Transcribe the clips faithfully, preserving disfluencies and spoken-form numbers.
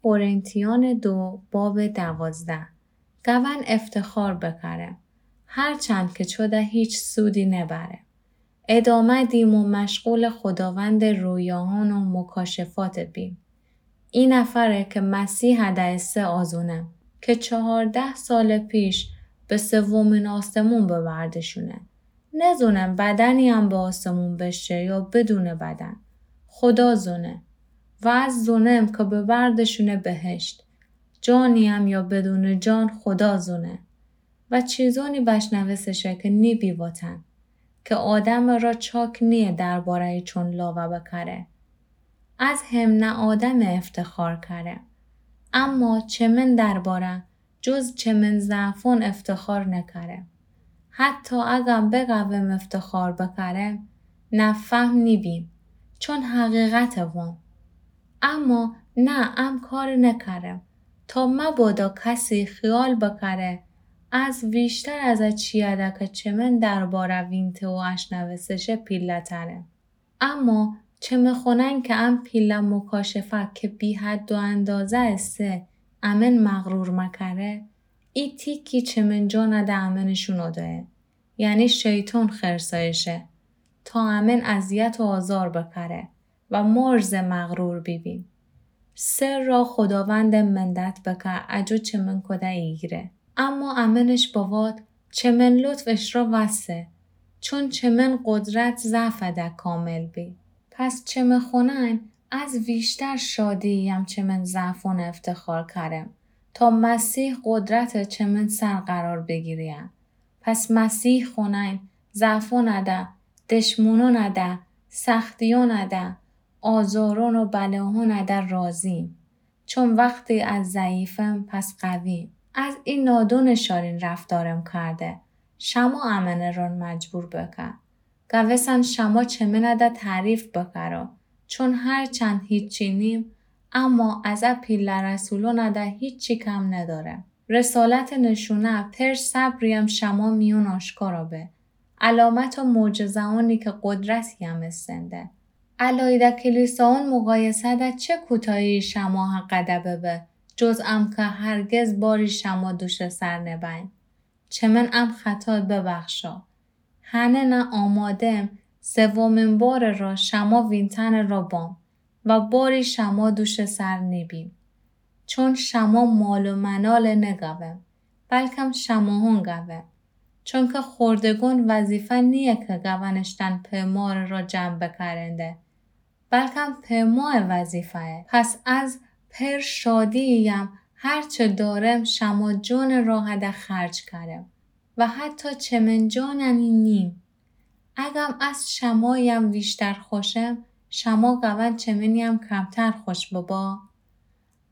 قرنتیان دو باب دوازده. گون افتخار بکرم، هرچند که چوده هیچ سودی نبرم. ادامه دیم و مشغول خداوند رویاهان و مکاشفات بیم. ای نفره که مسیح دئسه آزونم، که چهارده سال پیش به سومین آسمون ببردشونه. نزونم بدنی‌یم به آسمون بشه یا بدون بدن. خدا زونه. و از زونم که ببردشونه بهشت. جانی‌یم یا بدون جان خدا زونه. و چیزونی بشنوسه شه که نیبی وتن. که آدمٚ را چاک نییه درباره‌یٚ چون لاوه بکره. از همه آدم افتخار کره. اما چه من درباره جز چه من ضعفون افتخار نکرم. حتی اگم بگوم افتخار بکرم، نفهم نیبیم، چون حقیقت وام. اما نه، ام کار نکرم، تا مبادا کسی خیال بکره از ویشتر از چیاده که چه من درباره وینته و اشنوسه شه پیله‌ترم. اما چه مخونن که ام پیله مکاشفه که بی‌حد و اندازه ایسه، امن مغرور مکره، ای تیکی چه من جانده امنشون اوده‌یه، یعنی شیطان خرسایشه، تا امن اذیت و آزار بکره و مارز مغرور بیبیم. سر را خداوند منت بکه، اجو چه من کده ایگره. اما امنش بواد، چه من لطف اشرا وسه، چون چه من قدرت ضعفده کامل بی. پس چه مخونن از ویشتر شادی‌یم چه من ضعفون افتخار کرم، تا مسیح قدرت چه من سر قرار بگیریه. پس مسیح خونن ضعفونده، دشمنونده، سختیونده، آزارون و بلاهونده راضیم. چون وقتی از ضعیفم پس قویم. از ای نادون شارین رفتارم کرده، شما امنه رون مجبور بکه. گوسن شما چه منده تعریف بکره، چون هرچند هیچی نیم، اما از ا پیله رسولونده هیچی کم ندارم. رسالت نشونه پر صبریم شما میون آشکارا به. علامت و معجزه‌ونی که قدرتیم ایسنده. علایده کلیساون مقایسه‌ده چه کوتاهی شما حقده ببه، جز ام که هرگز باری شما دوش سر نبین. چه من ام خطا ببخشا. هنه نه آمادم سومین بار را شما وینتن را بام و باری شما دوش سر نیبیم. چون شما مال و منال نگوم، بلکم شماهون گوم. چونکه خوردگون وظیفه نییه که گون اشتن پیمار را جمع بکرنده، بلکم پیمای وظیفه‌یه. پس از پر شادی‌یم هرچه دارم شما جان راهده خرج کرم و حتی چه من جاننی نیم. اگم از شمایم ویشتر خوشم، شما گون چه منیم کمتر خوش ببا.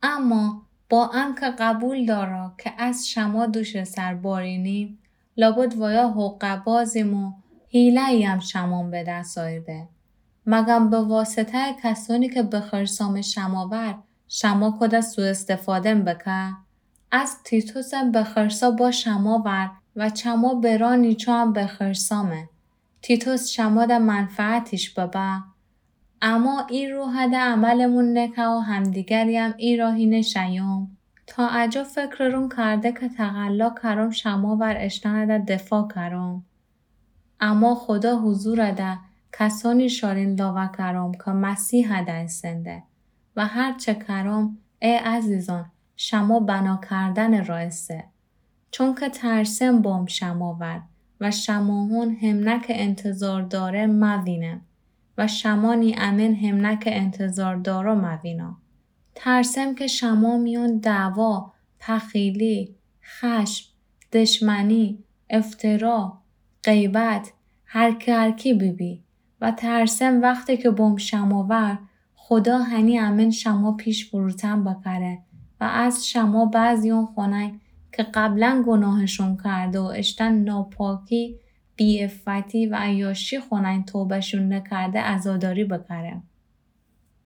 اما با انکه قبول دارا که از شما دوش سر باری نیم، لابد وایا حقه‌بازیم و حیله‌یم شمام به دس آیده. مگم به واسطه‌ی کسانی که بخرسام شماور، شما کده سوءاستفادم بکه؟ از تیتوسم بخرسا با شماور و چما برا نیچوام بخرسامه. تیتوس شماده منفعتیش ببه. اما ای روحده عملمون نکه و همدیگریم ای راهی نشیم. تا اجا فکررون کرده که تقلا کرم شماور اشتنده دفاع کرم. اما خدا حضورده کسانی شارین لاوه کرم که مسیحده ایسنده و هرچه کرم، ای عزیزان، شما بنا کردن را ایسه. چونکه ترسم بام شماور و شماهون همنه که انتظار دارم موینم و شمانی امن همنه که انتظار دارا موینا. ترسم که شما میون دعوا، پخیلی، خشم، دشمنی، افترا، غیبت، هرکه هرکی بیبی. و ترسم وقتی که بام شماور، خدا هنی امن شما پیش فروتن بکره و از شما بعضیون خونین که قبلا گناهشون کرده و اشتن ناپاکی، بی‌عفتی و عیاشی خونین توبه‌شون نکرده عزاداری بکره.